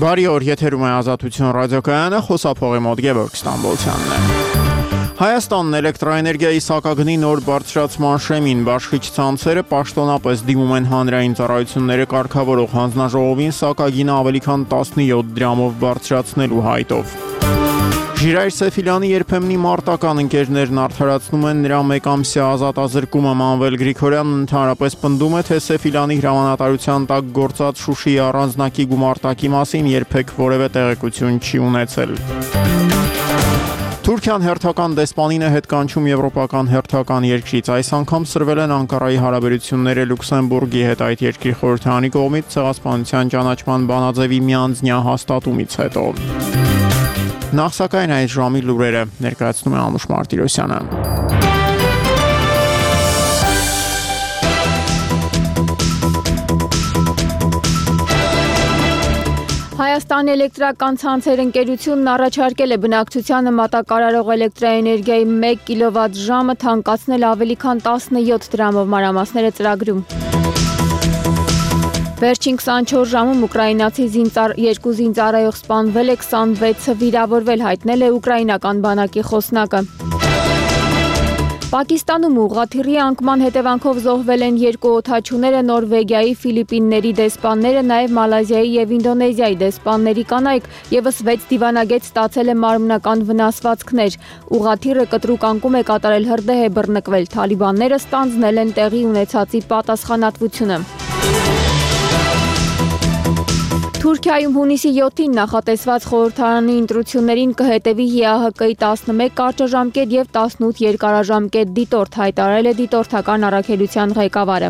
Բարի օր, եթերում է Ազատություն ռադիոկայանը, խոսափողի մոտ Գևորգ Ստամբոլցյանն է։ Հայաստանն էլեկտրաէներգիայի սակագնի նոր բարձրացման շեմին բաշխիչ ցանցերը պաշտոնապես դիմում են հանրային ծառայությունները կարգավորող հանձնաժողովին սակագինը ավելի քան 17 դրամով բարձրացնելու հայտով։ Ժիրայր Սեֆիլյանի երբեմնի մարտական ընկերներն արդարացնում են նրա մեկամսյա ազատազրկումը Մանվել Գրիգորյանն ընդհանրապես պնդում է, թե Սեֆիլյանի հրամանատարության տակ գործած Շուշիի առանձնակի գումարտակի մասին երբեք որևէ տեղեկություն չի ունեցել։ Թուրքիան հերթական դեսպանին է հետ կանչում եվրոպական հերթական երկրից։ Այս անգամ սրվել են Անկարայի հարաբերությունները Լյուքսեմբուրգի հետ այդ երկրի խորհրդարանի կողմից ցեղասպանության ճանաչման բանաձևի միանձնյա հաստատումից հետո։ Նախ սակայն այս ժամի լուրերը ներկայացնում է Անուշ Մարտիրոսյանը։ Հայաստանի էլեկտրական ցանցեր ընկերությունն առաջարկել է բնակչությանը մատակարարող էլեկտրաէներգիայի 1 կիլովատ ժամը թանկացնել ավելի քան 17 դրամով մանրամասները ծրագրում։ Վերջին 24 ժամում ուկրաինացի 2 զինծառայող սպանվել է, 26-ը վիրավորվել, հայտնել է ուկրաինական բանակի խոսնակը։ Պակիստանում ուղղաթիռի անկման հետևանքով զոհվել են 2 օդաչուները, Նորվեգիայի, Ֆիլիպինների դեսպանները, նաև Մալազիայի եւ Ինդոնեզիայի դեսպանների կանայք, եւս 6 դիվանագետ ստացել է մարմնական վնասվածքներ։ Ուղղաթիռը կտրուկ անկում է կատարել հրդեհ է բռնկվել, թալիբանները ստանձնել են տեղի ունեցածի պատասխանատվությունը։ Թուրքիայում հունիսի 7-ին նախատեսված խորհրդարանի ընտրություններին կհետևի ՀԱՀԿ-ի 11 կարճաժամկետ եւ 18 երկարաժամկետ դիտորդ, հայտարարել է դիտորդական առաքելության ղեկավարը։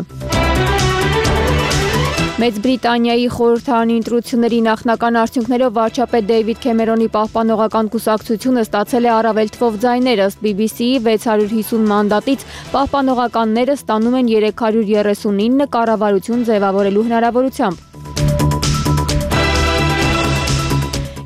Մեծ Բրիտանիայի խորհրդարանի ընտրությունների նախնական արդյունքներով վարչապետ Դեյվիդ Քեմերոնի պահպանողական կուսակցությունը ստացել է առավել թվով ձայներ, ըստ BBC-ի 650 մանդատից պահպանողականները ստանում են 339 կառավարություն ձևավորելու հնարավորությամբ։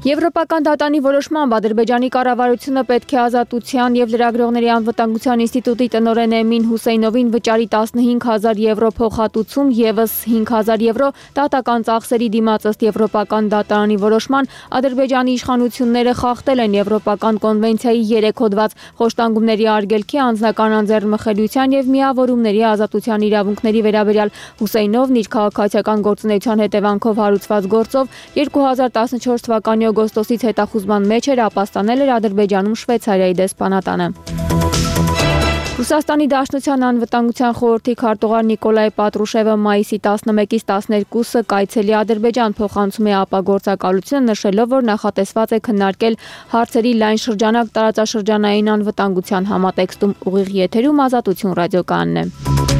Եվրոպական դատանի որոշմամբ Ադրբեջանի կառավարությունը պետք է Ազատության և լրագրողների անվտանգության ինստիտուտի տնօրեն Էմին Հուսեյնովին վճարի 15,000 եվրո փոխհատուցում, ևս 5,000 եվրո դատական ծախսերի դիմաց, ըստ Եվրոպական դատարանի որոշման, Ադրբեջանի իշխանությունները խախտել են Եվրոպական կոնվենցիայի 3 հոդված խոշտանգումների արգելքի, անձնական անձեռնմխելիության և միավորումների ազատության իրավունքների վերաբերյալ։ Հուսեյնովն իր քաղաքացիական գործունեության հետևանքով հարուցված գործով 2014 թվականի օգոստոսից հետախուզման մեջ էր, ապաստանել էր Ադրբեջանում Շվեյցարիայի դեսպանատանը։ Ռուսաստանի Դաշնության անվտանգության խորհրդի քարտուղար Նիկոլայ Պատրուշևը մայիսի 11-ից 12-ը կայցելի Ադրբեջան, փոխանցում է ԱՊԱ գործակալությունը, նշելով, որ նախատեսված է քննարկել հարցերի լայն շրջանակ տարածաշրջանային անվտանգության համատեքստում։ Ուղիղ եթերում Ազատություն ռադիոկայանն է։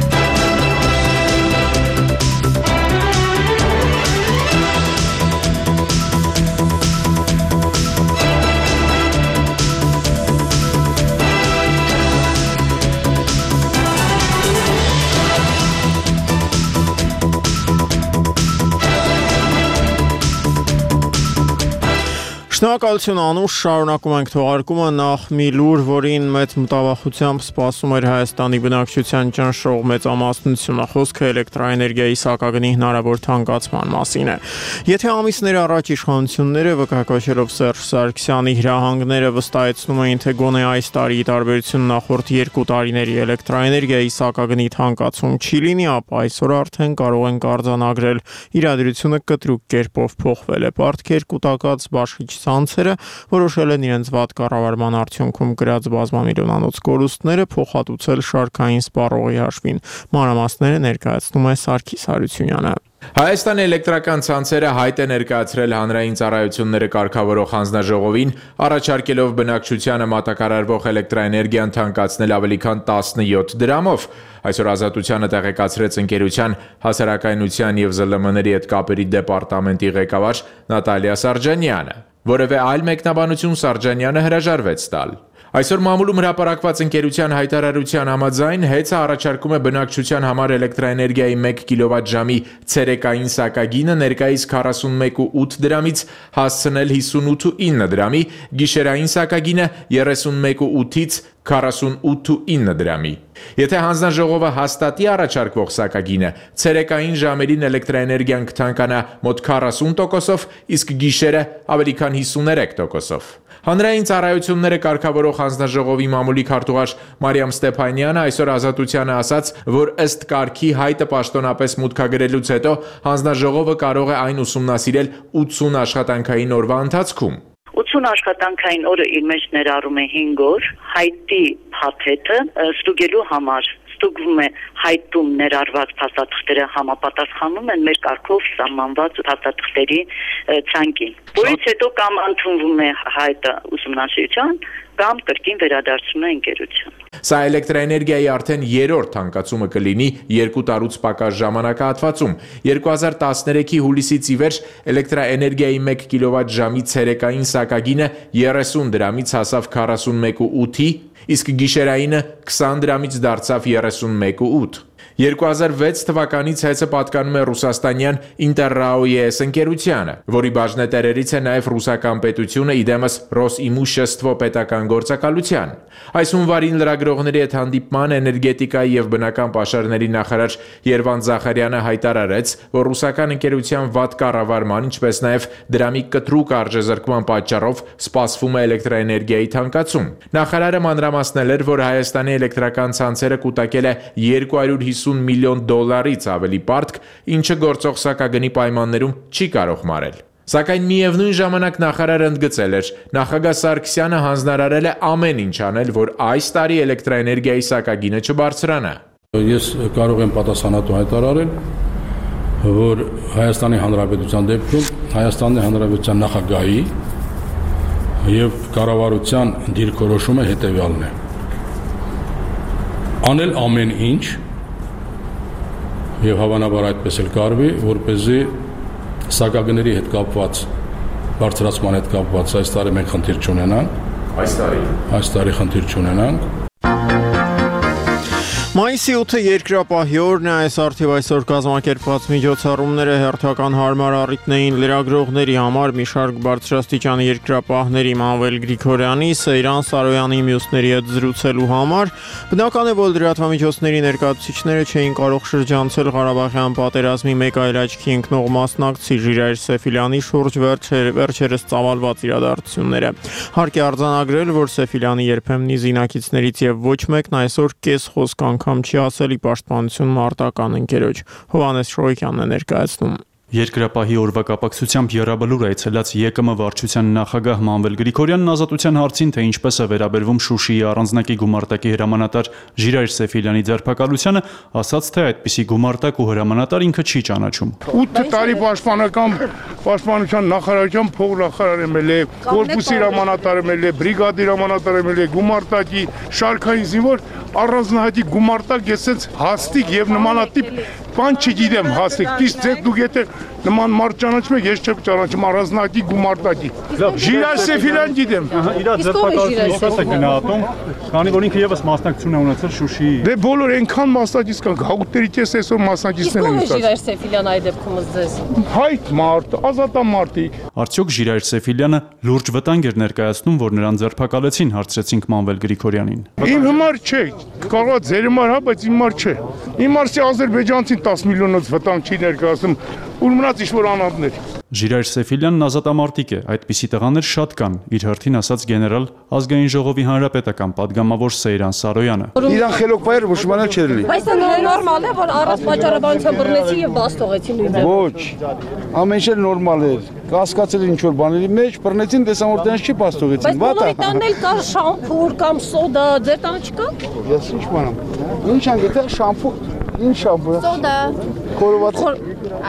Շնորհակալություն Անուշ, շարունակում ենք թողարկումը, նախ մի լուր, որին մեծ մտավախությամբ սպասում էր Հայաստանի բնակչության ճնշող մեծամասնությունը, խոսքը էլեկտրաէներգիայի սակագնի հնարավոր թանկացման մասին է։ Եթե ամիսներ առաջ իշխանությունները վկայակոչելով Սերժ Սարգսյանի հրահանգները վստահեցնում էին, թե գոնե այս տարի տարբերություն նախորդ 2 տարիների էլեկտրաէներգիայի սակագնի թանկացում չի լինի, ապա այսօր արդեն կարող ենք արձանագրել իրադրությունը կտրուկ կերպով փոխվել է։ Պարտքեր կուտակած բաշխիչ ցանցերը որոշել են իրենց վատ կառավարման արդյունքում գրած բազմամիլիոնանոց կորուստները փոխհատուցել շարքային սպառողի հաշվին։ Մանրամասները ներկայացնում է Սարգիս Հարությունյանը։ Հայաստանի էլեկտրական ցանցերը հայտ է ներկայացրել հանրային ծառայությունները կարգավորող հանձնաժողովին, առաջարկելով բնակչությանը մատակարարվող էլեկտրաէներգիան թանկացնել ավելի քան 17 դրամով։ Այսօր Ազատությանը տեղեկացրեց ընկերության հասարակայնության և ԶԼՄ-ների հետ կապերի դեպարտամենտի ղեկավար Նատալիա Սարջանյանը։ Որևէ այլ մեկնաբանություն Սարջանյանը հրաժարվեց տալ։ Այսօր մամուլում հրապարակված ընկերության հայտարարության համաձայն ՀԵՑ-ը առաջարկում է բնակչության համար էլեկտրաէներգիայի 1 կիլովատ ժամի ցերեկային սակագինը ներկայիս 41,8 դրամից հասցնել 58,9 դրամի, գիշերային սակագինը 31,8-ից 48.9 դրամի։ Եթե հանձնաժողովը հաստատի առաջարկվող սակագինը, ցերեկային ժամերին էլեկտրաէներգիան կթանկանա մոտ 40%, իսկ գիշերը ավելի քան 53%։ Հանրային ծառայությունները կարգավորող հանձնաժողովի մամուլի քարտուղար Մարիամ Ստեփանյանը այսօր Ազատությանը ասաց, որ ըստ կարգի հայտը պաշտոնապես մուտքագրելուց հետո հանձնաժողովը կարող է այն ուսումնասիրել 80 աշխատանքային օրվա ընթացքում։ 80 աշխատանքային օրը իր մեջ ներառում է 5 օր, հայտի փաթեթը ստուգելու համար ստուգվում է հայտում ներառված փաստաթղթերը համապատասխանում են մեր կարգով սահմանված փաստաթղթերի ցանկին, որից հետո կամ ընդունվում է հայտը ուսումնասիրության, կամ կրկին վերադարձում է ընկերության։ Սա էլեկտրաէներգիայի արդեն երրորդ թանկացումը կլինի 2 տարուց պակաս ժամանակահատվածում։ 2013-ի հուլիսից ի վեր էլեկտրաէներգիայի 1 կիլովատ ժամի ցերեկային սակագինը 30 դրամից հասավ 41.8-ի, իսկ գիշերայինը 20 դրամից դարձավ 31.8։ 2006 թվականից հեծը պատկանում է ռուսաստանյան Interrao-ES ընկերությանը, որի բաժնետերերից է նաև ռուսական պետությունը իդեմս Ռոսիմուշեստվո պետական գործակալության։ Այս հունվարին լրագրողների հետ հանդիպման էներգետիկայի եւ բնական պաշարների նախարար Երվան Զախարյանը հայտարարեց, որ ռուսական ընկերության վատ կառավարման, ինչպես նաև դրամի կտրուկ արժեզրկման պատճառով սպասվում է էլեկտրաէներգիայի թանկացում։ Նախարարը մանրամասնել էր, որ Հայաստանի էլեկտրական ցանցերը կուտակել է 250 միլիոն դոլարից ավելի պարտք, ինչը գործող սակագնի պայմաններում չի կարող մարել։ Սակայն միևնույն ժամանակ նախարարը ընդգծել էր, նախագահ Սարգսյանը հանձնարարել է ամեն ինչ անել, որ այս տարի էլեկտրաէներգիայի սակագինը չբարձրանա։ Ես կարող եմ պատասխանատու հայտարարել, որ Հայաստանի Հանրապետության դեպքում Հայաստանի Հանրապետության նախագահի եւ կառավարության դիրքորոշումը հետեւյալն է. անել ամեն ինչ եւ հավանաբար այդպես էլ կարվի, որպեսզի սակագների հետ կապված, բարձրացման հետ կապված այս տարի մենք խնդիր չունենանք։ Այս տարի խնդիր չունենանք։ Մայիսի 8-ը երկրապահի օրն է, այս արդիվ այսօր կազմակերպված միջոցառումները հերթական հարմար առիթն էին լրագրողների համար, մի շարք բարձրաստիճան երկրապահների Մանվել Գրիգորյանի, Սեյրան Սարոյանի մյուսների հետ զրուցելու համար, բնական է, որ լրատվամիջոցների ներկայացուցիչները չէին կարող շրջանցել Ղարաբաղյան պատերազմի մեկ այլ աչքի ընկնող մասնակցի Ժիրայր Սեֆիլյանի շուրջ վերջերս ծավալված իրադարձությունները։ Հարկ է արձանագրել, որ Սեֆիլյանի երբեմնի զինակիցներից եւ ոչ մեկն այսօր կես խոսք անգամ չի ասելի պաշտպանություն մարտական ընկերոջ։ Հովհաննես Շոյքյանն է ներկայացնում։ Երկրապահի օրվա կապակցությամբ եռաբլուր այցելած ԵԿՄ վարչության նախագահ Մանվել Գրիգորյանն ազատության հարցին, թե ինչպես է վերաբերվում Շուշիի առանձնակի գումարտակի հրամանատար Ժիրայր Սեֆիլյանի ձերբակալությանը, ասաց, թե այդպիսի գումարտակ ու հրամանատար ինքը չի ճանաչում։ 8 տարի պաշտպանության նախարարության փոխնախարար եմել է, կորպուսի հրամանատար եմել է, բրիգադի հրամանատար եմել է, գումարտակի շարքային զինվոր առանձնահատիկ գումարտակ, ես sense հաստիկ եւ նմանատիպ բան չգիտեմ հաստիկ, իսկ դուք եթե նման մարդ ճանաչում եք, ես չեմ ճանաչում առանձնահատիկ գումարտակի։ Ժիրայր Սեֆիլյան գիտեմ։ Իրա ձերբակալությունը ո՞ս է գնահատում, քանի որ ինքը եւս մասնակցություն է ունեցել Շուշիի։ Դե բոլոր այնքան մասնակից կան, հաղորդերի կես այսօր մասնակիցներ են եկած։ Ժիրայր Սեֆիլյան այդ դեպքում ձեզ։ Հայտ մարդ, ազատամարտիկ։ Արդյոք Ժիրայր Սեֆիլյանը լուրջ վտանգ էր ներկայացնում, որ նրան ձերբակալեցին, հարցրեցինք Մանվել Գրիգորյանին։ Իմ համար չէ, կարող է ձեր համար, հա, բայց իմ համար չէ։ Իմ մարսի ադրբեջանցին 10 միլիոնից վտանգ չի ներկայացնում, ու մնաց ինչ-որ անհատներ։ Ժիրայր Սեֆիլյանն ազատամարտիկ է, այդպիսի տղաներ շատ կան, իր հերթին ասաց գեներալ ազգային ժողովի հանրապետական падգամավոր Սեյրան Սարոյանը։ Իրան խելոք բայեր ոչ մանալ չէր լի։ Բայց նորմալ է, որ առանց պատճառաբանության բռնեցի եւ բաց թողեցին նույնպես։ Ոչ, ամեն ինչ նորմալ էր։ Կասկածել ինչ որ բաների մեջ բռնեցին, տեսամ որ տենց չի բաց թողեցին։ Բայց բոլորի տանն էլ կա շամփուր կամ սոդա, ձեր տանը չկա։ Ես ինչ բանամ։ Ինչ անգետ է շամփուր, ինչ շամփուր։ Սոդա։ Խորոված։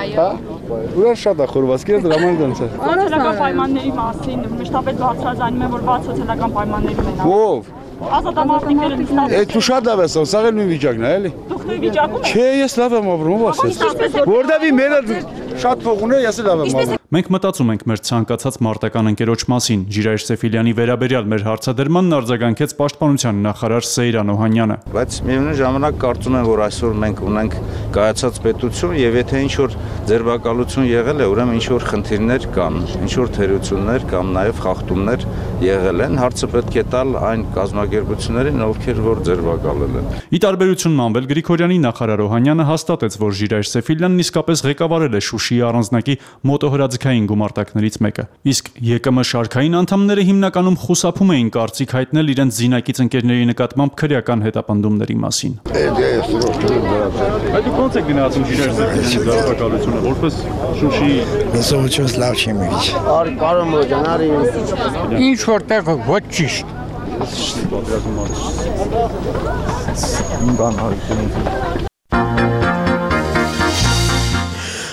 Այո։ Ուրիշ շատ է խորովածքերը դրաման դենց է։ Սոցիալական պայմանների մասին մշտապես բարձրաձայնում են, որ բաց սոցիալական պայմաններում են։ Ո՞վ։ Ազատամարտիկները Այդ ու շատ ավես, սա էլ նույն վիճակն է, էլի։ նույն վիճակում եք։ Չէ, ես լավ եմ ապրում, ասես։ Որտեւ մերը շատ փող ունի, ես լավ եմ ապրում։ Մենք մտածում ենք մեր ցանկացած մարտական ընկերոջ մասին։ Ժիրայր Սեֆիլյանի վերաբերյալ մեր հարցադրմանն արձագանքեց Պաշտպանության նախարար Սեյրան Օհանյանը։ Բայց միևնույն ժամանակ կարծում եմ, որ այսօր մենք ունենք կայացած պետություն եւ եթե ինչ որ ձերբակալություն եղել է, ուրեմն ինչ որ խնդիրներ կան, ինչ որ թերություններ կամ նաեւ խախտումներ եղել են, հարցը պետք է տալ այն կազմակերպություններին, ովքեր որ ձերբակալել են։ Ի տարբերություն Մանվել Գրիգորյանի նախարար Օհանյանը հաստատեց, որ Ժիրայր Սեֆիլյանն իսկապես ղեկավարել է Շուշիի առանձնակի մոտոհրաձգային գումարտակներից մեկը։ Իսկ ԵԿՄ շարքային անդամները հիմնականում խուսափում էին կարծիք հայտնել իրենց զինակից ընկերների նկատմամբ քրեական հետապնդումների մասին։ Այդ ո՞նց է գնացում Ժիրայր Սեֆիլյանի ձերբակալությունը, որպես Շուշիի Նսոչոս լավ չի միջ։ Արի կարոմ ջան, արի։ Ինչ որտեղ ոչ ճիշտ։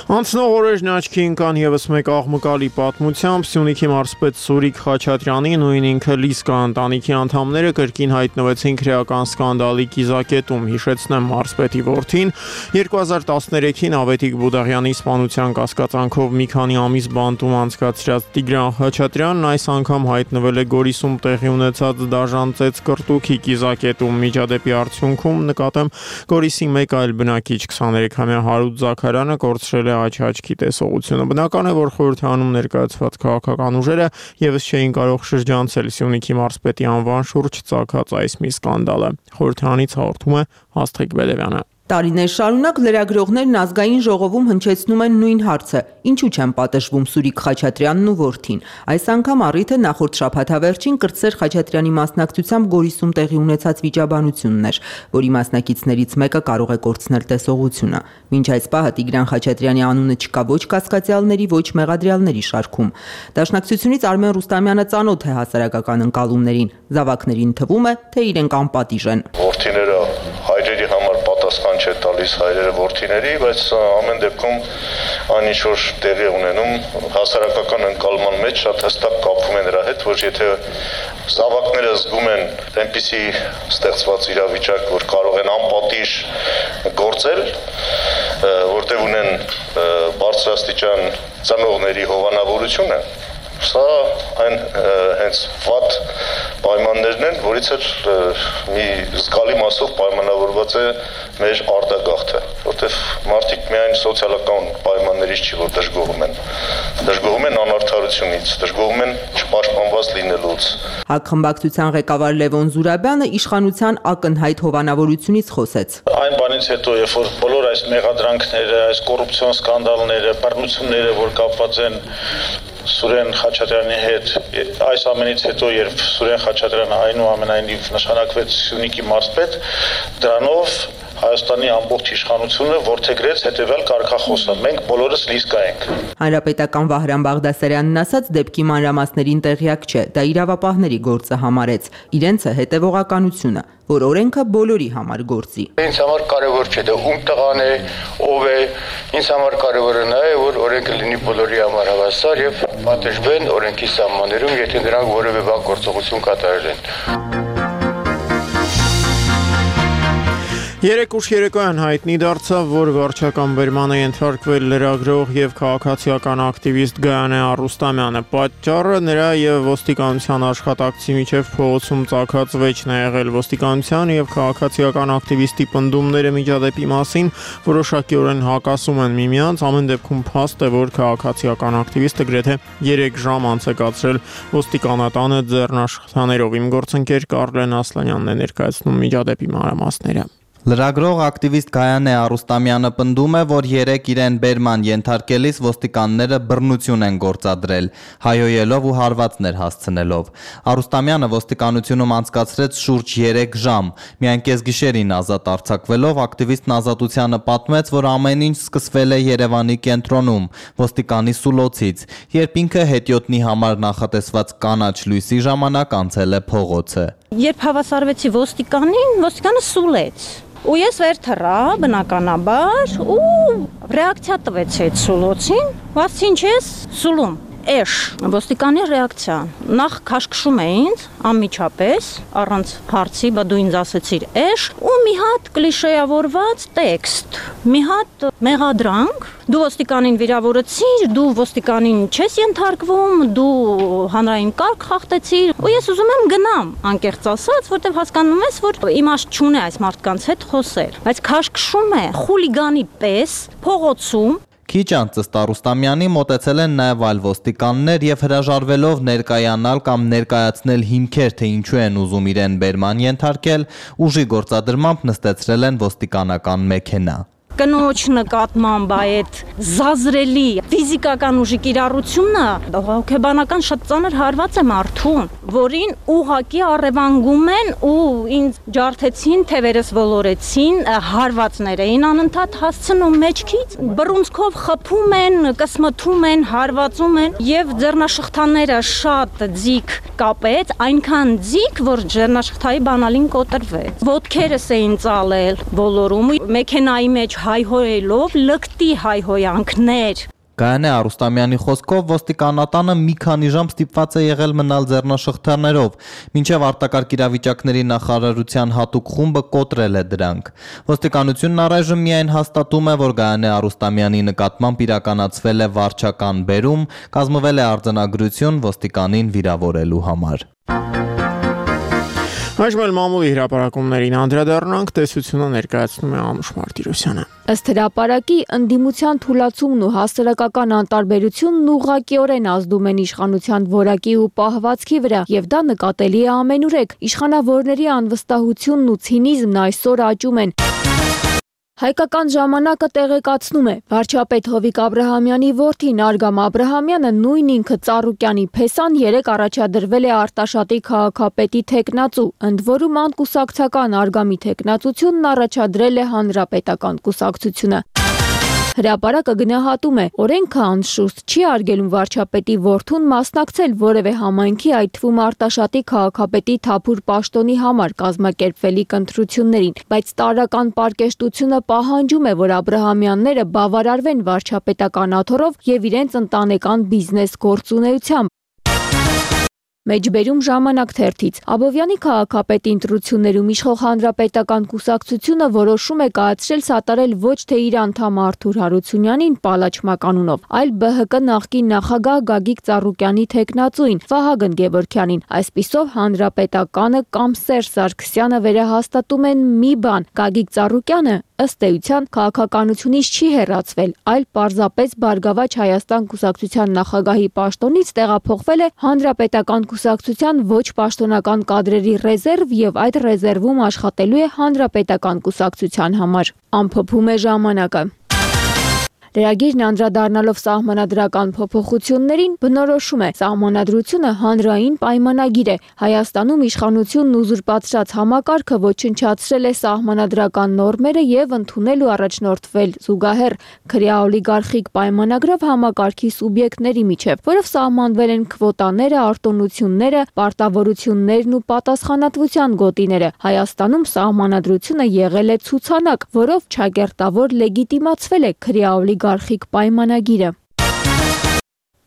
Անցնող օրերն աչքի ընկան ևս մեկ աղմկալի պատմությամբ Սյունիքի մարզպետ Սուրիկ Խաչատրյանի նույն ինքը Լիսկա ընտանիքի անդամները կրկին հայտնվեցին քրեական սկանդալի կիզակետում, հիշեցնեմ մարզպետի որդին 2013-ին Ավետիք Բուդաղյանի սպանության կասկածանքով մի քանի ամիս բանտում անցկացրած Տիգրան Խաչատրյանն այս անգամ հայտնվել է Գորիսում տեղի ունեցած դաժան ծեծ կրտուքի կիզակետում, միջադեպի արդյունքում նկատեմ Գորիսի մեկ այլ բնակիչ 23-ամյա Հարութ Զաքարյանը կորցրել է աչքի տեսողությունը։ Բնական է, որ խորհրդանում ներկայացված քաղաքական ուժերը եւս չէին կարող շրջանցել Սյունիքի մարզպետի անվան շուրջ ծագած այս մի սկանդալը։ Խորհրդանից հաղորդում է Աստղիկ Բելևյանը։ Տարիներ շարունակ լրագրողներն ազգային ժողովում հնչեցնում են նույն հարցը. ինչու չեն պատժվում Սուրիկ Խաչատրյանն ու որդին։ Այս անգամ առիթը նախորդ շաբաթավերջին Կրտսեր Խաչատրյանի մասնակցությամբ Գորիսում տեղի ունեցած վիճաբանությունն էր, որի մասնակիցներից մեկը կարող է կորցնել տեսողությունը։ Մինչ այս պահը Տիգրան Խաչատրյանի անունը չկա ոչ կասկածյալների, ոչ մեղադրյալների շարքում։ Դաշնակցությունից Արմեն Ռուստամյանը ծանոթ է հասարակական ընկալումներին։ Զավակներին թվում է, թե իրենք անպատիժ են։ Որդիները հայրերի համար պատասխան չէ տալիս հայրերը որդիների, բայց ամեն դեպքում այն ինչ որ տեղի ունենում հասարակական ընկալման մեջ շատ հստակ կապվում է նրա հետ, որ եթե զավակները զգում են այնպիսի ստեղծված իրավիճակ, որ կարող են անպատիժ գործել, որտեղ ունեն բարձրաստիճան ծնողների հովանավորությունը, սա այն հենց վատ պայմաններն են, որից էլ մի զգալի մասով պայմանավորված է մեր արտագաղթը, որտեղ մարդիկ միայն սոցիալական պայմաններից չի, որ դժգոհում են անարդարությունից, դժգոհում են չպաշտպանված լինելուց։ ՀԱԿ խմբակցության ղեկավար Լևոն Զուրաբյանը իշխանության ակնհայտ հովանավորությունից խոսեց։ Այն բանից հետո, երբ որ բոլոր այս մեղադրանքները, այս կոռուպցիոն սկանդալները, բռնությունները, որ կապված են Սուրեն Խաչատրյանի հետ, այս ամենից հետո, երբ Սուրեն Խաչատրյանը այնուամենայնիվ նշանակվեց Սյունիքի մարզպետ, դրանով Հայաստանի ամբողջ իշխանությունը որդեգրեց հետևյալ կարգախոսը. մենք բոլորս Լիսկա ենք։ Հանրապետական Վահրամ Բաղդասարյանն ասաց, դեպքի մանրամասներին տեղյակ չէ, դա իրավապահների գործը համարեց, իրենցը հետևողականությունը, որ օրենքը բոլորի համար գործի։ Ինձ համար կարևոր չէ, դա ում տղան է, ով է, ինձ համար կարևորը նա է, որ օրենքը լինի բոլորի համար հավասար եւ պատժվեն օրենքի սահմաններում, եթե նրանք որևէ բան գործողություն կատարել են։ Երեկ ուշ երեկոյան հայտնի դարձավ, որ վարչական բերման է ենթարկվել լրագրող եւ քաղաքացիական ակտիվիստ Գայանե Առուստամյանը։ Պատճառը նրա եւ ոստիկանության աշխատակցի միջև փողոցում ծագած վեճն է եղել։ Ոստիկանության եւ քաղաքացիական ակտիվիստի պնդումները միջադեպի մասին որոշակիորեն հակասում են միմյանց, ամեն դեպքում փաստ է, որ քաղաքացիական ակտիվիստը գրեթե 3 ժամ անց է կացրել ոստիկանատանը ձեռնաշխատաներով։ Իմ գործընկեր Կարլեն Ասլանյանն է ներկայացնում միջադեպի մանրամասները։ Լրագրող ակտիվիստ Գայանե Առուստամյանը պնդում է, որ երեկ իրեն բերման ենթարկելիս ոստիկանները բռնություն են գործադրել, հայոյելով ու հարվածներ հասցնելով։ Առուստամյանը ոստիկանությունում անցկացրեց շուրջ 3 ժամ։ Միայն կեսգիշերին ազատ արձակվելով ակտիվիստն Ազատությանը պատմեց, որ ամեն ինչ սկսվել է Երևանի կենտրոնում, ոստիկանի սուլոցից, երբ ինքը հետիոտնի համար նախատեսված կանաչ լույսի ժամանակ անցել է փողոցը։ Երբ հավասարվեցի ոստիկանին, ոստիկանը սուլեց։ Ու ես վեր թռա, բնականաբար, ու ռեակցիա տվեց այդ սուլոցին, ասեցի ինչ ես սուլում։ էշ, ոստիկանի ռեակցիա։ Նախ քաշքշում էին անմիջապես, առանց հարցի, բա դու ինձ ասեցիր էշ, ու մի հատ կլիշեավորված տեքստ, մի հատ մեղադրանք, դու ոստիկանին վիրավորեցիր, դու ոստիկանին չես ենթարկվում, դու հանրային կարգ խախտեցիր, ու ես ուզում եմ գնամ, անկեղծ ասած, որտեղ հասկանում ես, որ իմաստ չունի այս մարդկանց հետ խոսել, բայց քաշքշում է խուլիգանի պես փողոցում։ Քիչ անց Ռուստամյանի մոտեցել են նաև այլ ոստիկաններ եւ հրաժարվելով ներկայանալ կամ ներկայացնել հիմքեր, թե ինչու են ուզում իրեն բերման ենթարկել, ուժի գործադրմամբ նստեցրել են ոստիկանական մեքենա։ Կնոջ նկատմամբ այդ զազրելի ֆիզիկական ուժի կիրառությունը հոգեբանական շատ ծանր հարված է մարդուն, որին ուղակի առևանգում են ու ինձ ջարդեցին, թևերս ոլորեցին, հարվածներ էին անընդհատ հասցնում մեջքից, բռունցքով խփում են, կսմթում են, հարվածում են եւ ձեռնաշղթաները շատ ձիգ կապեց, այնքան ձիգ, որ ձեռնաշղթայի բանալին կոտրվեց։ Ոտքերս էին ծալել, ոլորում, մեքենայի մեջ հայհոյելով լկտի հայհոյանքներ։ Գայանե Արուստամյանի խոսքով ոստիկանատանը մի քանի ժամ ստիպված է եղել մնալ ձեռնաշղթաներով, մինչև արտակարգ իրավիճակների նախարարության հատուկ խումբը կոտրել է դրանք։ Ոստիկանությունն առայժմ միայն հաստատում է, որ Գայանե Արուստամյանի նկատմամբ իրականացվել է վարչական բերում, կազմվել է արձանագրություն ոստիկանին վիրավորելու համար։ Այժմ էլ մամուլի հրապարակումներին անդրադառնանք, տեսությունը ներկայացնում է Անուշ Մարտիրոսյանը։ Ըստ հրապարակի, ընդդիմության թուլացումն ու հասարակական անտարբերությունն ուղղակիորեն ազդում են իշխանության որակի ու պահվածքի վրա, եւ դա նկատելի է ամենուրեք։ Իշխանավորների անվստահությունն ու ցինիզմն այսօր աճում են։ Հայկական ժամանակը տեղեկացնում է, վարչապետ Հովիկ Աբրահամյանի որդին Արգամ Աբրահամյանը նույն ինքը Ծառուկյանի փեսան երեկ առաջադրվել է Արտաշատի քաղաքապետի թեկնածու, ընդ որում անկուսակցական Արգամի թեկնածությունն առաջադրել է Հանրապետական կուսակցությունը։ Հրապարակը գնահատում է, օրենքը անշուշտ չի արգելում վարչապետի որդուն մասնակցել որևէ համայնքի, այդ թվում Արտաշատի քաղաքապետի թափուր պաշտոնի համար կազմակերպվելիք ընտրություններին, բայց տարրական պարկեշտությունը պահանջում է, որ Աբրահամյանները բավարարվեն վարչապետական աթոռով եւ իրենց ընտանեկան բիզնես գործունեությամբ։ Մեջբերում ժամանակ թերթից։ Աբովյանի քաղաքապետի ընտրություններում իշխող Հանրապետական կուսակցությունը որոշում է կայացրել սատարել ոչ թե իր անդամ Արթուր Հարությունյանին պալաչմականունով, այլ ԲՀԿ նախկին նախագահ Գագիկ Ծառուկյանի թեկնածուին Վահագն Գևորգյանին։ Այսպիսով Հանրապետականը կամ Սերժ Սարգսյանը վերահաստատում են մի բան՝ Գագիկ Ծառուկյանը ըստ էության քաղաքականությունից չի հեռացվել, այլ պարզապես Բարգավաճ Հայաստան կուսակցության նախագահի պաշտոնից տեղափոխվել է Հանրապետական կուսակցության ոչ պաշտոնական կադրերի ռեզերվ եւ այդ ռեզերվում աշխատելու է Հանրապետական կուսակցության համար։ Ամփոփում է ժամանակը։ Լրագիրն անդրադառնալով սահմանադրական փոփոխություններին բնորոշում է սահմանադրությունը հանրային պայմանագիր է։ Հայաստանում իշխանությունն ուզուրպացրած համակարգը ոչնչացրել է սահմանադրական նորմերը եւ ընդունել ու առաջնորդվել զուգահեռ քրեաօլիգարխիկ պայմանագրով համակարգի սուբյեկտների միջև, որով սահմանվել են քվոտաները, արտոնությունները, պարտավորություններն ու պատասխանատվության գոտիները։ Հայաստանում սահմանադրությունը եղել է ցուցանակ, որով չակերտավոր լեգիտիմացվել է քրեաօլիգարխիկ պայմանագիրը։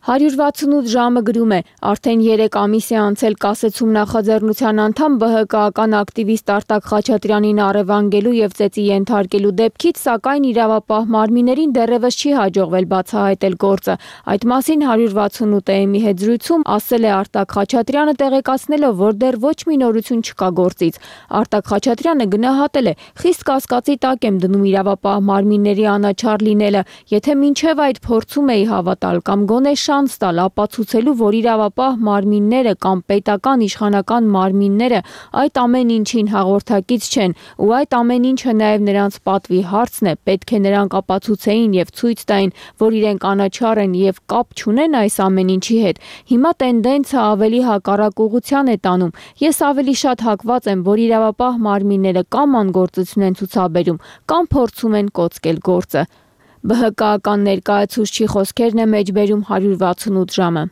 168 ժամը գրում է, արդեն 3 ամիս է անցել կասեցում նախաձեռնության անդամ ԲՀԿ-ական ակտիվիստ Արտակ Խաչատրյանին առևանգելու եւ ծեծի ենթարկելու դեպքից, սակայն իրավապահ մարմիններին դեռևս չի հաջողվել բացահայտել գործը։ Այդ մասին 168-ի հետ զրույցում ասել է Արտակ Խաչատրյանը, տեղեկացնելով, որ դեռ ոչ մի նորություն չկա գործից։ Արտակ Խաչատրյանը գնահատել է, խիստ կասկածի տակ եմ դնում իրավապահ մարմինների անաչառ լինելը, եթե մինչև այդ փորձում էի հավատալ կամ գոնե շանս տալ ապացուցելու, որ իրավապահ մարմինները կամ պետական իշխանական մարմինները այդ ամեն ինչին հաղորդակից չեն, ու այդ ամեն ինչը նաև նրանց պատվի հարցն է, պետք է նրանք ապացուցեին եւ ցույց տային, որ իրենք անաչառ են եւ կապ չունեն այս ամեն ինչի հետ։ Հիմա տենդենսը ավելի հակառակ ուղղության է տանում։ Ես ավելի շատ հակված եմ, որ իրավապահ մարմինները կամ անգործություն են ցուցաբերում, կամ փորձում են կոծկել գործը։ ԲՀԿ-ական ներկայացուցչի խոսքերն է մեջբերում 168 ժամը։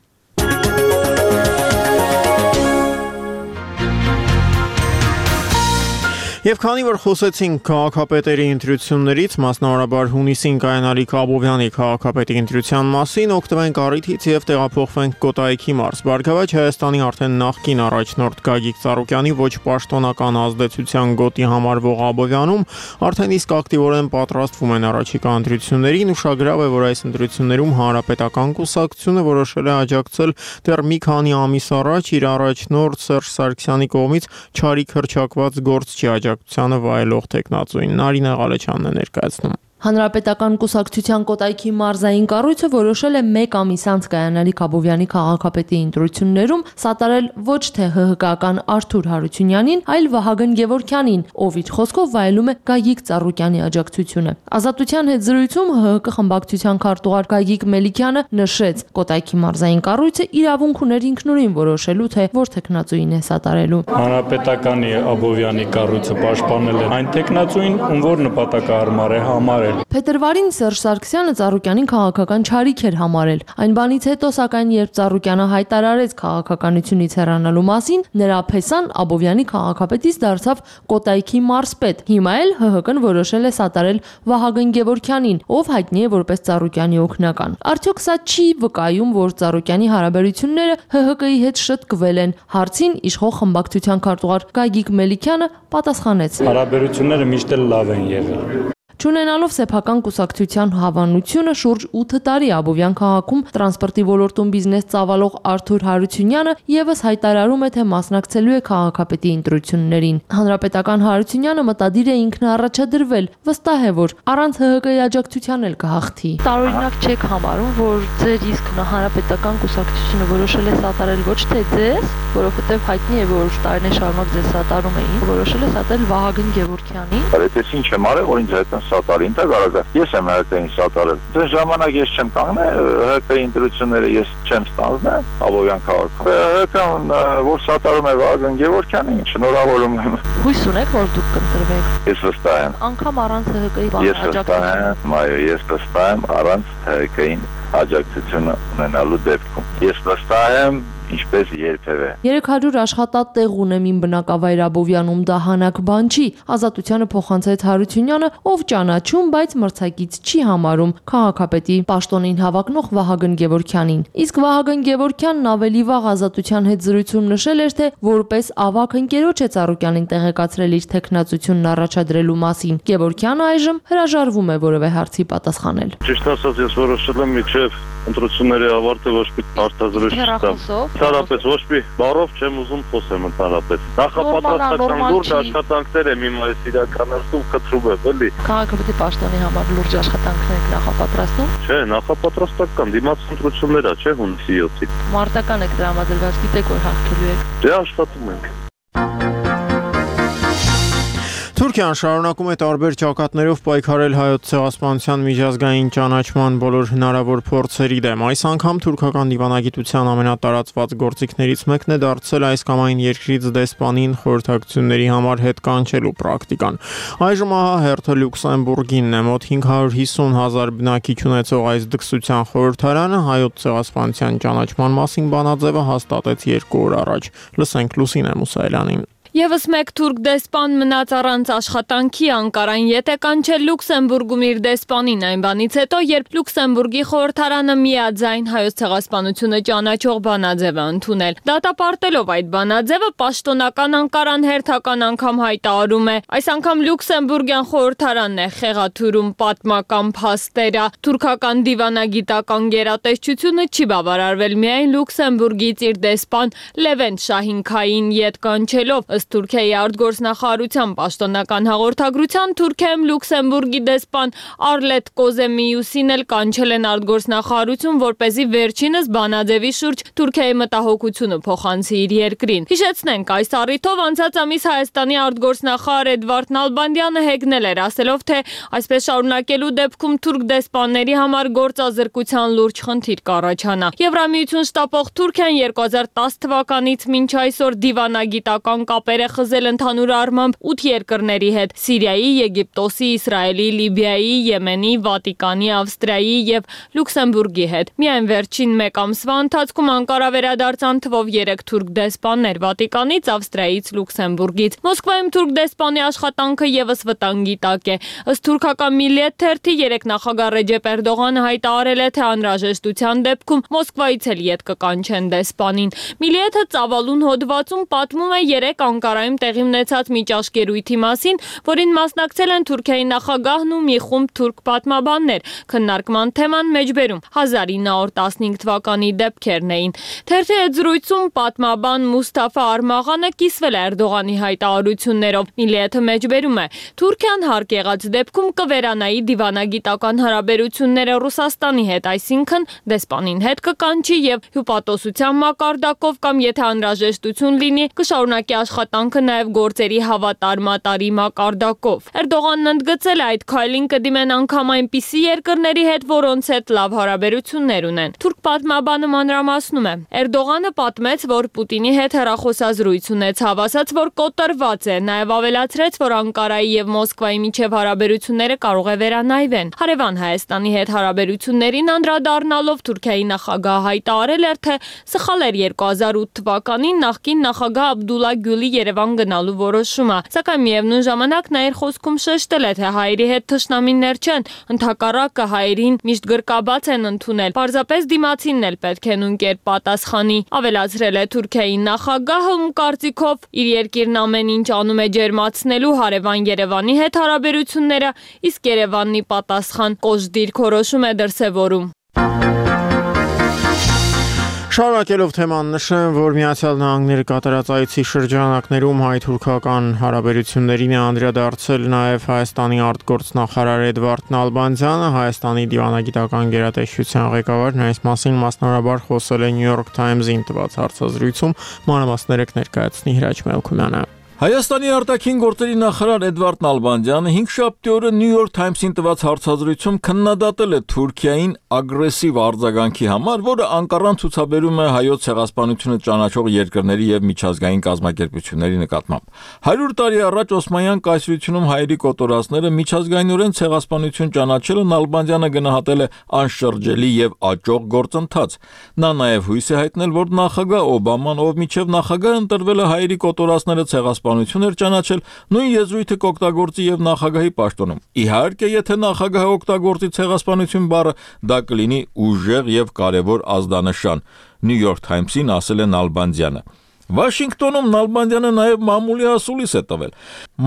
Եվ քանի որ խոսեցինք քաղաքապետերի ընտրություններից, մասնավորաբար հունիսին կայանալիք Աբովյանի քաղաքապետի ընտրության մասին, օգտվենք առիթից եւ տեղափոխվենք Կոտայքի մարզ։ Բարգավաճ Հայաստանի արդեն նախկին առաջնորդ Գագիկ Ծառուկյանի ոչ պաշտոնական ազդեցության գոտի համարվող Աբովյանում արդեն իսկ ակտիվորեն պատրաստվում են առաջիկա ընտրություններին։ Ուշագրավ է, որ այս ընտրություններում հանրապետական կուսակցությունը որոշել է աջակցել դեռ մի քանի ամիս առաջ իր առաջնորդ Սերժ Սարգսյանի կողմից չարիք հռչակված գործչի աջակցությանը վայելող տեխնացուին։ Նարինե Ղալեչյանն է ներկայացնում։ Հանրապետական կուսակցության Կոտայքի մարզային կառույցը որոշել է 1 ամիս անց կայանալիք Աբովյանի քաղաքապետի ընտրություններում սատարել ոչ թե ՀՀԿ-ական Արթուր Հարությունյանին, այլ Վահագն Գևորգյանին, ով իր խոսքով վայելում է Գագիկ Ծառուկյանի աջակցությունը։ Ազատության հետ զրույցում ՀՀԿ խմբակցության քարտուղար Գագիկ Մելիքյանը նշեց, Կոտայքի մարզային կառույցը իրավունք ուներ ինքնուրույն որոշելու, թե որ տեխնացուին է սատարելու։ Հանրապետականի Աբովյանի կառույցը պաշտպանել է այն տեխնացուին, ում որ նպատակահարմար է համարել։ Փետրվարին Սերժ Սարգսյանը Ծառուկյանին քաղաքական չարիք էր համարել։ Այն բանից հետո, սակայն, երբ Ծառուկյանը հայտարարեց քաղաքականությունից հեռանալու մասին, նրա փեսան Աբովյանի քաղաքապետից դարձավ Կոտայքի մարզպետ։ Հիմա էլ ՀՀԿ-ն որոշել է սատարել Վահագն Գևորգյանին, ով հայտնի է որպես Ծառուկյանի օգնական։ Արդյոք սա չի վկայում, որ Ծառուկյանի հարաբերությունները ՀՀԿ-ի հետ շտկվել են։ Հարցին իշխող խմբակցության քարտուղար Գագիկ Մելիքյանը պատասխանեց. Հարաբերությունները միշտ էլ լավ են եղել։ Չունենալով սեփական կուսակցության հավանությունը շուրջ 8 տարի Աբովյան քաղաքում տրանսպորտի ոլորտում բիզնես ծավալող Արթուր Հարությունյանը եւս հայտարարում է, թե մասնակցելու է քաղաքապետի ընտրություններին։ Հանրապետական Հարությունյանը մտադիր է ինքնաառաջադրվել, վստահ է, որ առանց ՀՀԿ-ի աջակցության էլ կհաղթի։ Տարօրինակ չեք համարում, որ ձեր իսկ հանրապետական կուսակցությունը որոշել է սատարել ոչ թե ձեզ, որովհետեւ հայտնի է, որ տարիներ շարունակ ձեզ սատարում էին, որոշել է սատարել Վահագն Գևորգյանին։ Բայց ինչ եմ արել, որ ինձ հետ սատարին, դա կարող է։ Ես եմ ՀԿ-ին սատարել։ Դες ժամանակ ես չեմ կանգնել, ՀԿ-ի ընտրությունները ես չեմ ստանձնել Աբովյան քաղաքում։ ՀԿ-ն որ սատարում է Վահագն Գևորգյանին, շնորհավորում եմ։ Հույս ունեք, որ դուք կընտրվեք։ Ես վստահ եմ։ Անկամ առանց ՀԿ-ի աջակցության։ Ես վստահ եմ առանց ՀԿ-ին աջակցությունը ունենալու դեպքում։ Ես վստահ եմ ինչպես երբևէ։ 300 աշխատատեղ ունեմ իմ բնակավայր Աբովյանում, դա հանակ բան չի։ Ազատությանը փոխանցեց Հարությունյանը, ով ճանաչում, բայց մրցակից չի համարում քաղաքապետի պաշտոնին հավակնող Վահագն Գևորգյանին։ Իսկ Վահագն Գևորգյանն ավելի վաղ Ազատության հետ զրույցում նշել էր, թե որպես ավագ ընկերոջ է Ծառուկյանին տեղեկացրել իր տեխնացությունն առաջադրելու մասին։ Գևորգյանը այժմ հրաժարվում է որևէ հարցի պատասխանել։ Ճիշտ ասած, ես որոշել եմ միջև ընտրությունների ավարտը ոչ մի հարցազրույց չտամ։ Ընդհանրապես ոչ մի բառով չեմ ուզում խոսեմ ընդհանրապես։ Նախապատրաստական լուրջ աշխատանքներ եմ հիմա ես իրականացնում, խնդրում եմ, էլի։ Քաղաքապետի պաշտոնի համար լուրջ աշխատանքներ եք նախապատրաստում։ Չէ, նախապատրաստական դիմաց ընտրություններ է, չէ, հունիսի 7-ին։ Մարտական եք դրամադրված, գիտեք որ հաղթելու եք։ Դե աշխատում ենք։ Թուրքիան շարունակում է տարբեր ճակատներով պայքարել հայոց ցեղասպանության միջազգային ճանաչման բոլոր հնարավոր փորձերի դեմ։ Այս անգամ թուրքական դիվանագիտության ամենատարածված գործիքներից մեկն է դարձել այս կամ այն երկրից դեսպանին խորհրդակցությունների համար հետ կանչելու պրակտիկան։ Այժմ ահա հերթը Լյուքսեմբուրգինն է, մոտ 550,000 բնակիչ ունեցող այս դքսության խորհրդարանը հայոց ցեղասպանության ճանաչման մասին բանաձևը հաստատեց 2 օր առաջ։ Լսենք Լուսինե Մուսայելյանին։ Եվս մեկ թուրք դեսպան մնաց առանց աշխատանքի Անկարան ետ է կանչել Լյուքսեմբուրգում իր դեսպանին այն բանից հետո, երբ Լյուքսեմբուրգի խորհրդարանը միաձայն հայոց ցեղասպանությունը ճանաչող բանաձև է ընդունել։ Դատապարտելով այդ բանաձևը պաշտոնական Անկարան հերթական անգամ հայտարարում է, այս անգամ Լյուքսեմբուրգյան խորհրդարանն է խեղաթյուրում պատմական փաստերը։ Թուրքական դիվանագիտական գերատեսչությունը չի բավարարվել միայն Լյուքսեմբուրգից իր դեսպան Լևենտ Շահինքային ետ կանչելով։ Ըստ Թուրքիայի արտգործնախարարության պաշտոնական հաղորդագրության Թուրքիայում Լյուքսեմբուրգի դեսպան Արլետ Կոզեմիուսին էլ կանչել են արտգործնախարարություն, որպեսզի վերջինս բանաձևի շուրջ Թուրքիայի մտահոգությունը փոխանցի իր երկրին։ Հիշեցնենք, այս առիթով անցած ամիս Հայաստանի արտգործնախարար Էդվարդ Նալբանդյանը հեգնել էր, ասելով, թե այսպես շարունակելու դեպքում թուրք դեսպանների համար գործազրկության լուրջ խնդիր կառաջանա։ Եվրամիություն շտապող Թուրքիան 2010 թվականից մինչ այսօր դիվանագիտական կապ կապեր է խզել ընդհանուր առմամբ 8 երկրների հետ՝ Սիրիայի, Եգիպտոսի, Իսրայելի, Լիբիայի, Եմենի, Վատիկանի, Ավստրիայի եւ Լյուքսեմբուրգի հետ։ Միայն վերջին 1 ամսվա ընթացքում Անկարա վերադարձան թվով 3 թուրք դեսպաններ Վատիկանից, Ավստրիայից, Լյուքսեմբուրգից։ Մոսկվայում թուրք դեսպանի աշխատանքը եւս վտանգի տակ է։ Ըստ թուրքական Միլիետ թերթի երեք նախագահ Ռեջեփ Էրդողանը հայտարարել է, թե անհրաժեշտության դեպքում Մոսկվայից էլ յետ կկանչեն դեսպանին։ Միլիեթը ծավալուն հոդվածում պատմում է 3 Անկարայում տեղի ունեցած միջազգերույթի մասին, որին մասնակցել են Թուրքիայի նախագահն ու մի խումբ թուրք պատմաբաններ։ Քննարկման թեման մեջբերում 1915 թվականի դեպքերն էին։ Թերթի հետ զրույցում պատմաբան Մուստաֆա Արմաղանը կիսվել է Էրդողանի հայտարարություններով։ Միլիեթը մեջբերում է. Թուրքիան հարկ եղած դեպքում կվերանայի դիվանագիտական հարաբերությունները Ռուսաստանի հետ, այսինքն դեսպանին հետ կկանչի եւ հյուպատոսության մակարդակով կամ եթե անհրաժեշտություն լինի, կշարունակի աշխատանքը նաեւ գործերի հավատարմատարի մակարդակով։ Էրդողանն ընդգծել է այդ քայլին կդիմեն անգամ այնպիսի երկրների հետ, որոնց հետ լավ հարաբերություններ ունեն։ Թուրք պատմաբանը մանրամասնում է. Էրդողանը պատմեց, որ Պուտինի հետ հեռախոսազրույց ունեցավ, ասաց, որ կոտրված է, նաեւ ավելացրեց, որ Անկարայի եւ Մոսկվայի միջև հարաբերությունները կարող է վերանայվեն։ Հարևան Հայաստանի հետ հարաբերություններին անդրադառնալով Թուրքիայի նախագահը հայտարարել էր, թե սխալ էր 2008 թվականին նախկին նախագահ Աբդուլլա Գյուլի Երևան գնալու որոշումը, սակայն միևնույն ժամանակ նա իր խոսքում շեշտել է, թե հայերի հետ թշնամիներ չեն, ընդհակառակը հայերին միշտ գրկաբաց են ընդունել, պարզապես դիմացինն էլ պետք է նույն կերպ պատասխանի։ Ավելացրել է Թուրքիայի նախագահը, ում կարծիքով իր երկիրն ամեն ինչ անում է ջերմացնելու հարևան Երևանի հետ հարաբերությունները, իսկ Երևանն ի պատասխան կոշտ դիրք որոշում է դրսևորում։ Շարունակելով թեման նշեմ, որ Միացյալ Նահանգները կատարած այցի շրջանակներում հայ-թուրքական հարաբերություններին է անդրադարձել նաև Հայաստանի արտգործնախարար Էդվարդ Նալբանդյանը, Հայաստանի դիվանագիտական գերատեսչության ղեկավարն այս մասին մասնավորաբար խոսել է New York Times-ին տված հարցազրույցում, մանրամասները կներկայացնի Հրաչ Մելքումյանը։ Հայաստանի արտաքին գործերի նախարար Էդվարդ Նալբանդյանը 5 շաբթի օրը New York Times-ին տված հարցազրույցում քննադատել է Թուրքիային ագրեսիվ արձագանքի համար, որը Անկարան ցուցաբերում է հայոց ցեղասպանությունը ճանաչող երկրների եւ միջազգային կազմակերպությունների նկատմամբ։ 100 տարի առաջ Օսմանյան կայսրությունում հայերի կոտորածները միջազգայինորեն ցեղասպանություն ճանաչելը Նալբանդյանը գնահատել է անշրջելի եւ աճող գործընթաց։ Նա նաեւ հույս է հայտնել, որ նախագահ Օբաման, ով միջև նախագահ ընտրվել է հայերի կոտորածները ցեղասպանություն էր ճանաչել, նույն եզրույթը կօգտագործի եւ նախագահի պաշտոնում։ Իհարկե, եթե նախագահը օգտագործի ցեղասպանություն բառը, դա կլինի ուժեղ եւ կարեւոր ազդանշան, New York Times-ին ասել է Նալբանդյանը։ Վաշինգտոնում Նալբանդյանը նաև մամուլի ասուլիս է տվել։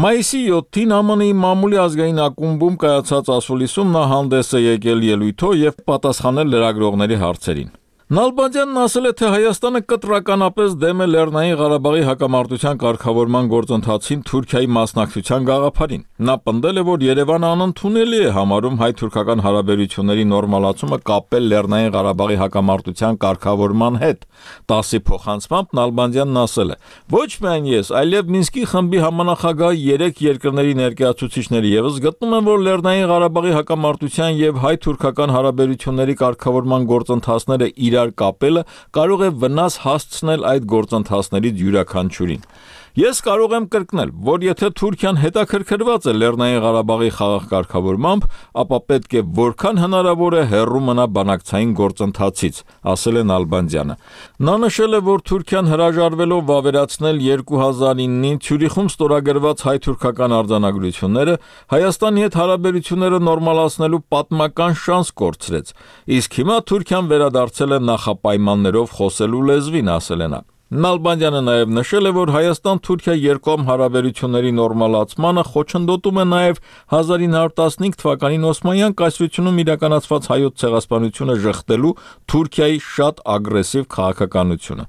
Մայիսի 7-ին ԱՄՆ-ի մամուլի ազգային ակումբում կայացած ասուլիսում նա հանդես է եկել ելույթով եւ պատասխանել լրագրողների հարցերին։ Նալբանդյանն ասել է, թե Հայաստանը կտրականապես դեմ է Լեռնային Ղարաբաղի հակամարտության կարգավորման գործընթացին Թուրքիայի մասնակցության գաղափարին։ Նա պնդել է, որ Երևանը անընդունելի է համարում հայ-թուրքական հարաբերությունների նորմալացումը կապել Լեռնային Ղարաբաղի հակամարտության կարգավորման հետ։ ՏԱՍ-ի փոխանցմամբ Նալբանդյանն ասել է. «Ոչ միայն ես, այլև Մինսկի խմբի համանախագահ 3 երկրների ներկայացուցիչները եւս գտնում են, որ Լեռնային Ղարաբաղի հակամարտության եւ հայ-թուրքական հարաբերությունների կարգավորման գործընթացները կապելը կարող է վնաս հասցնել այդ գործընթացներից յուրաքանչյուրին։ Ես կարող եմ կրկնել, որ եթե Թուրքիան հետաքրքրված է Լեռնային Ղարաբաղի խաղաղ կարգավորմամբ, ապա պետք է որքան հնարավոր է հեռու մնա բանակցային գործընթացից», ասել է Նալբանդյանը։ Նա նշել է, որ Թուրքիան հրաժարվելով վավերացնել 2009-ին Ցյուրիխում ստորագրված հայ-թուրքական արձանագրությունները Հայաստանի հետ հարաբերությունները նորմալացնելու պատմական շանս կորցրեց, իսկ հիմա Թուրքիան վերադարձել է նախապայմաններով խոսելու լեզվին, ասել է նա։ Նալբանդյանը նաև նշել է, որ Հայաստան-Թուրքիա երկկողմ հարաբերությունների նորմալացմանը խոչընդոտում է նաև 1915 թվականին Օսմանյան կայսրությունում իրականացված հայոց ցեղասպանությունը ժխտելու Թուրքիայի շատ ագրեսիվ քաղաքականությունը։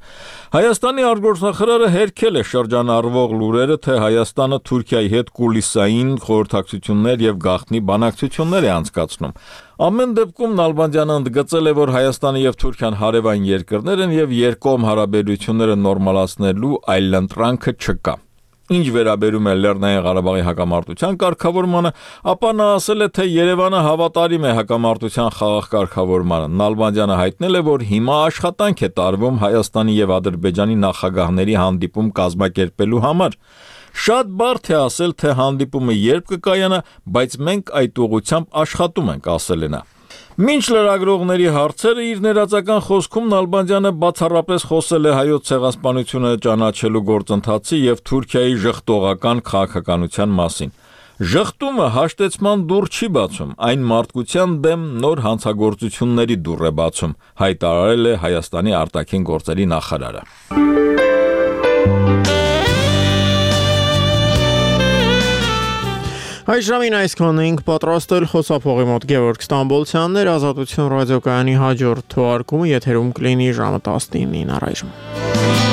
Հայաստանի արտգործնախարարը հերքել է շրջանառվող լուրերը, թե Հայաստանը Թուրքիայի հետ կուլիսային խորհրդակցություններ եւ գաղտնի բանակցություններ է անցկացնում։ Ամեն դեպքում Նալբանդյանը ընդգծել է, որ Հայաստանը եւ Թուրքիան հարևան երկրներ են եւ երկկողմ հարաբերությունները նորմալացնելու այլընտրանքը չկա։ Ինչ վերաբերում է Լեռնային Ղարաբաղի հակամարտության կարգավորմանը, ապա նա ասել է, թե Երևանը հավատարիմ է հակամարտության խաղաղ կարգավորմանը։ Նալբանդյանը հայտնել է, որ հիմա աշխատանք է տարվում Հայաստանի եւ Ադրբեջանի նախագահների հանդիպում կազմակերպելու համար։ Շատ բարդ է ասել, թե հանդիպումը երբ կկայանա, բայց մենք այդ ուղղությամբ աշխատում ենք, ասել է նա։ Մինչ լրագրողների հարցերը իր ներածական խոսքում Նալբանդյանը բացառապես խոսել է հայոց ցեղասպանությունը ճանաչելու գործընթացի եւ Թուրքիայի ժխտողական քաղաքականության մասին։ Ժխտումը հաշտեցման դուռ չի բացում, այն մարդկության դեմ նոր հանցագործությունների դուռ է բացում, հայտարարել է Հայաստանի արտաքին գործերի նախարարը։ Այժմին այսքան էինք պատրաստել խոսափողի մոտ Գևորգ Ստամբոլցյանն էր, Ազատություն ռադիոկայանի հաջորդ թողարկումը եթերում կլինի ժամը 19-ին առայժմ։